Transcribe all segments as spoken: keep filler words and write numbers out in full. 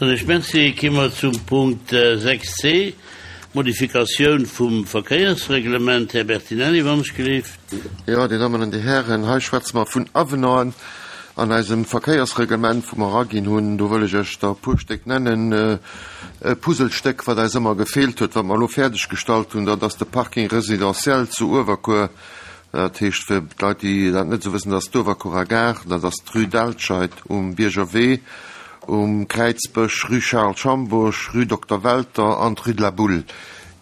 Soen ech Merci. Gi mer zum Punkt sechs c, Modifikatioun vum Verkéiersreglement. Här Bertinelli, wann ech gelift. Jo, Dir Dammen an Dir Hären, hei schwätze mer vun Avenanten an eisem Verkéiersreglement, wou mer eraginn hunn. Do wëll ech Iech der e puer Stéck nennen. E Puzzlestéck, wat eis ëmmer gefeelt huet, wat mer elo fäerdeggestallt hunn, dat ass de Parking résidentiel zu Uewerkuer. Dat heescht, fir d'Leit, déi dat net esou wëssen, dat ass d'Uewerkuerer Gare, dat ass d'Rue d'Alscheid um Bierger Wee, um Kräizbësch, Rue Charles Schambourg, Rue Dokter Welter an d'Rue de la Boule.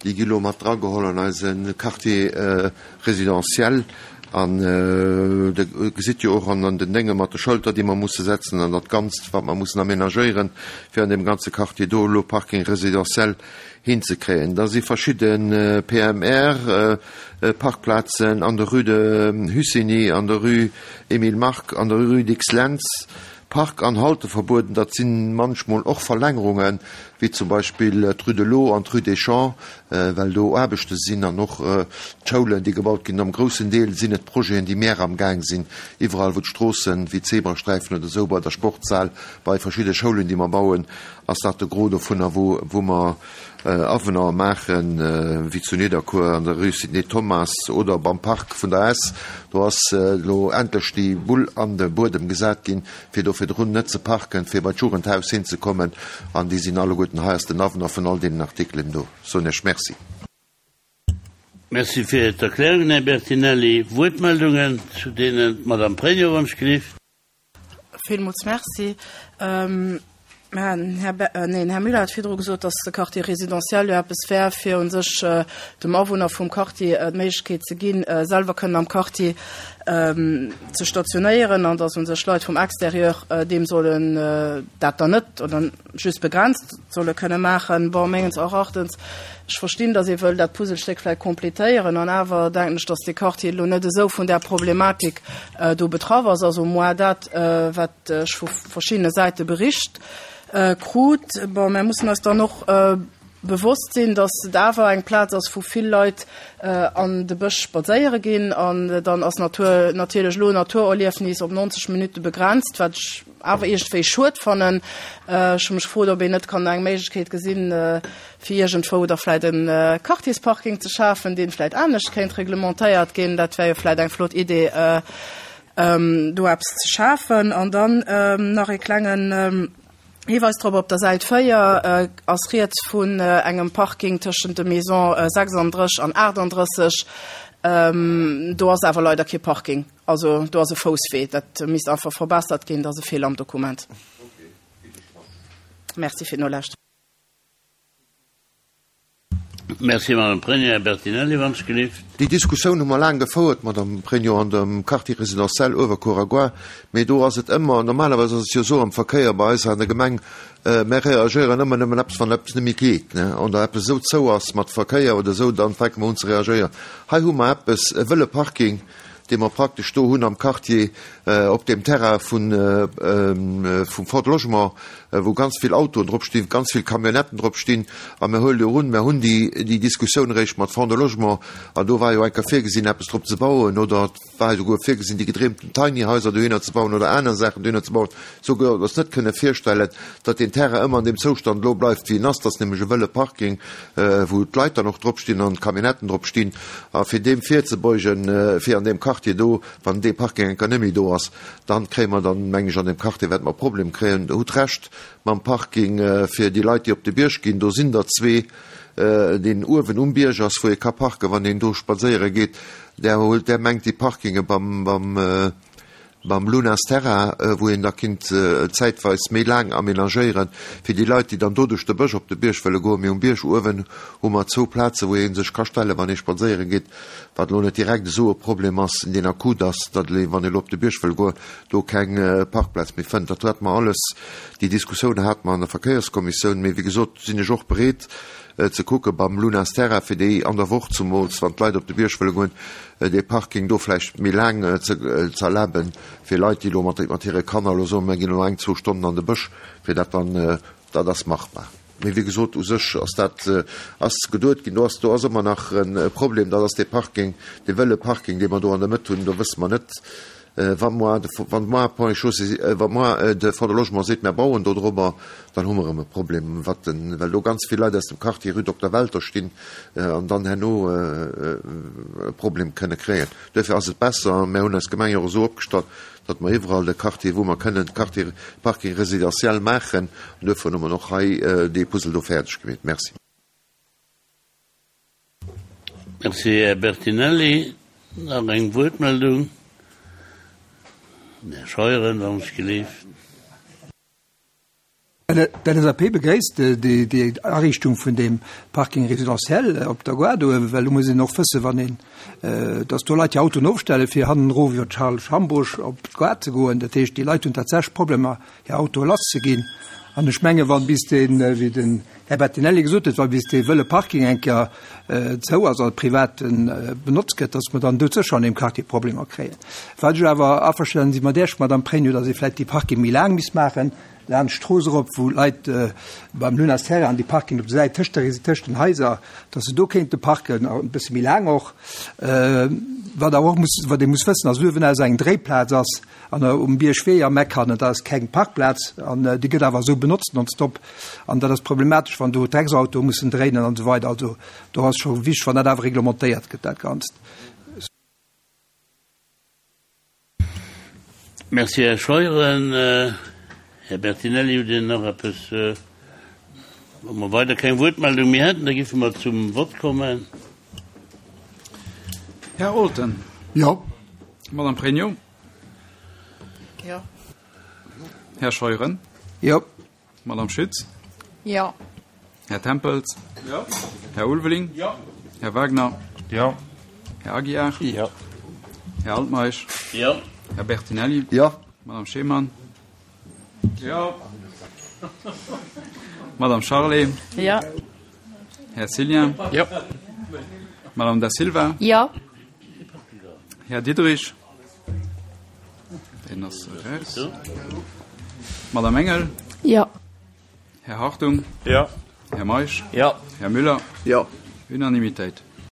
Déi gi lo mat drageholl an eise Quartier résidentiel. An Der gesitt jo och an den Dénge mat de Schëlter, déi mer musse setzen, an dat Ganzt, wat mer mussen aménagéieren, fir an deem ganze Quartier do elo Parking résidentiel hinzekréien. Da si verschidde P M R-Parkplazen an der Rue de Hussigny, an der Rue Émile Mark, an der Rue Dicks-Lentz. Park an Halteverbueden, dat si manchmol och Verlängerungen, wéi zum Beispill d'Rue de l'Eau an d'Rue des Champs, well do Aarbechte sinn, an och d'Schoulen, déi gebaut ginn. Am groussen Deel sinn et Projeten, déi mär am Gaang sinn, iwwerall wou d'Stroossen, wéi d'Zebrasträifen oder esou, bei der Sportshal, bei verschidde Schoulen, déi mer bauen, ass dat de Gros dovunner, wou wou mer Avenanten maachen, wéi zu Nidderkuer an der Rue Sidney Thomas oder beim Park vun der S. Do ass elo endlech déi Bull an de Buedem gesat ginn, fir do virdrun net ze parken, fir bei d'Jugendhaus hinzekommen. An déi sinn alleguerten, hei ass den Avenant vun all deenen Artikelen do. Soen ech Merci. Merci fir d'Erklärungen, Här Bertinelli. Wuertmeldungen zu deenen d'Madame Pregno, wann ech gelift. Villmools Merci. Här, neen, Här Müller hat virdru gesot, dass de Quartier résidentiel jo eppes wär, fir u sech dem Awunner vum Quartier d'Méiglechkeet ze ginn, selwer kënnen am Quartier ze stationéieren, an dass u sech Leit vum Exterieur deem sollen dat dann net oder just begrenzt solle kënne maachen. Bon, menges Erachtens, ech verstinn, dass ee wëll dat Puzzlestéck vläicht complétéieren, an awer denken ech, dass de Quartier elo net esou vun där Problematik do betraff ass. Also moi dat, wat ech vu verschiddene Säite bericht krut. Bon, mir mussen eis dann och bewosst sinn, dass et awer eng Plaz ass, wou vill Leit an de Bësch spadséiere ginn, an dann ass Natur natierlech elo Naturerliefnis op neunzeg Minutte begrenzt, wat ech awer iergendwéi schued fannen. Ech hu mech gefrot, ob een net kann eng Méiglechkeet gesinn, fir iergendwou da vläicht e Quartiersparking ze schafen, dee vläicht anescht kéint reglementéiert ginn. Dat wär jo vläicht eng flott Idee, do eppes ze schafen. An dann nach e klengen Hiweis drop, op der Säit véier ass rieds vun engem Parking tëschent de Maison sechsunddrësseg an aachtunddrësseg. Do ass awer leider kee Parking, also do ass e Fousswee. Dat misst einfach verbessert ginn, dat ass e Feeler am Dokument. Merci fir d'Nolauschteren. Merci, Madame Pregno. Här Bertinelli, wann ech gelift. Déi Diskussioun hu mer laang gefouert, Madame Pregno, an dem Quartier résidentiel Uewerkuer a Mee do ass et ëmmer, normalerweis ass et jo esou am Verkéier bei eis an der Gemeng, mer reagéieren ëmmer nëmmen eppes, wann eppes net méi geet, ne, oder eppes esou zou ass mat Verkéier oder esou, dann fänke mer un ze reagéieren. Hei hu mer eppes, e wëlle Parking, dee mer praktesch do hunn am Quartier op deem Terrain vun vum Fonds de Logement, wou ganz vill Autoen drop stinn, ganz vill Camionnetten drop stinn. A mir huele jo un, mir hunn déi déi Diskussioun eréischt mat Fonds de Logement, an do war jo eng Kéier virgesinn, eppes drop ze bauen, oder et war esouguer virgesinn, déi gedreemten Tiny Haiser dohinner ze bauen oder aner Saachen dohinner ze bauen. Souguer eis net kënne virstellen, datt deen Terrain ëmmer an deem Zoustand elo bleift, wéi en ass. Dat ass nämlech e wëlle Parking, wou d'Leit dann och drop stinn an d'Camionnetten drop stinn. A fir deem virzebeugen, fir an deem Quartier do, wann dee Parking eng Kéier net méi do ass, dann kréie mer dann, meng ech, an deem Quartier wäerte mer e Problem kréien. Der hutt Recht mam Parking fir déi Leit, déi op de Bierg ginn. Do sinn der zwee, deen uewen um Bierg ass, wou ee ka parken, wann een do spadséiere geet. Där huelt, där mengt déi Parkinge beim, beim, beim Lunas Terra, wou een da kinnt zäitweis méi laang aménagéieren, fir déi Leit, déi dann do duerch de Bësch op de Bierg wëlle goen. Mee um Bierg uewen hu mer zwou Plazen, wou ee sech ka stellen, wann ee spadséiere geet, wat elo net direkt esou e Problem ass, deen akut ass, datt ee, wann ee elo op de Bierg wëll goen, do keng Parkplaz méi fënnt. Dat hate mer alles, déi Diskussioun hate mer an der Verkéierskommissioun. Mee wéi gesot sinn ech och bereet ze kucke beim Lunas Terra, fir déi an der Woch zumools, wann d'Leit op de Bierg wëlle goen, dee Parking do vläicht méi laang ze erlaben, fir Leit, déi elo mat mat hire Kanner elo soen, mir ginn elo eng, zwou Stonnen an de Bësch, fir dat dann, dat ass machbar. Mee wéi gesot, u sech ass dat ass geduet ginn. Do ass do ass ëmmer nach e Problem, dat ass dee Parking, dee wëlle Parking, dee mer do an der Mëtt hunn. Do wësse mer net, Wa moar de, wann moar Ponts et Chaussées, wa moar de Fonds de Logement seet, mär bauen do drobber, dann hu mer erëm e Problem, wat den, well do ganz vill Leit aus dem Quartier Rue Dokter Welter stinn an dann herno e Problem kënne kréien. Duerfir ass et besser, mär hunn eis Gemeng jo och esou opgestallt, datt mer iwwerall de Quartier, wou mer kënnen, Quartier, Parking résidentiel maachen. An duerfir hu mer och hei dee Puzzle do fäerdeg gemeet. Merci. Merci, Här Bertinelli. Nach eng Wuertmeldung? Den Här Scheuren, wann ech gelift. D'LSAP begréisst déi Ariichtung vun deem Parking résidentiel op der Gare do, well do muss een och wëssen, wann een, dass do Leit hir Autoen ofstellen, fir hannendru iwwer d'Charles Schambourg op d'Gare ze goen. Dat heescht, déi Leit hunn tatsächlech Problemer, hir Autoe lasszeginn. An ech menge wann bis deen, wéi den Här Bertinelli gesot huet, wa bis dee wëlle Parking eng Kéier zou ass a privat benotzt gëtt, dass mer dann do sécher an deem Quartier Problemer kréien. Wat ech awer averstanen si mat Iech, Madame Pregno, dass ee vläicht déi Parking méi laang misst maachen, laanscht d'Strooss erop, wou Leit beim Lunas Terra an déi Parking op der Säit tëscht der, tëscht den Haiser, dass se do kéinte parken, e bësse méi laang och. Wat awer och muss, wat ee muss wëssen, ass uewen aus eng Dréiplaz ass an um Biergwee am Eck hannen, dat ass keng Parkplaz an déi gëtt awer esou benotzt nonstop an dat ass problematesch, wann do Drecksautoe mussen dréinen an esou weider. Also do ass scho wichteg, wann dat awer reglementéiert gëtt, dat Ganzt. Merci, Här Scheuren. Här Bertinelli, hutt Dir nach eppes? Wa mer weider keng Wuertmeldung méi hätten, da giffe mer zum Vott kommen. Här Olten. Jo. Madame Pregno. Jo. Här Scheuren. Jo. Madame Schütz. Jo. Här Tempels. Jo. Här Ulveling. Jo. Här Wagner. Jo. Här Aguiar. Jo. Här Altmeisch. Jo. Här Bertinelli. Jo. Madame Schemann. Jo. Madame Charlé. Jo. Här Cillien. Jo. Madame Da Silva. Jo. Här Diderich. Deen ass eraus. Madame Engel. Jo. Här Hartung. Jo. Här Meisch. Jo. Här Müller. Jo. Unanimitéit.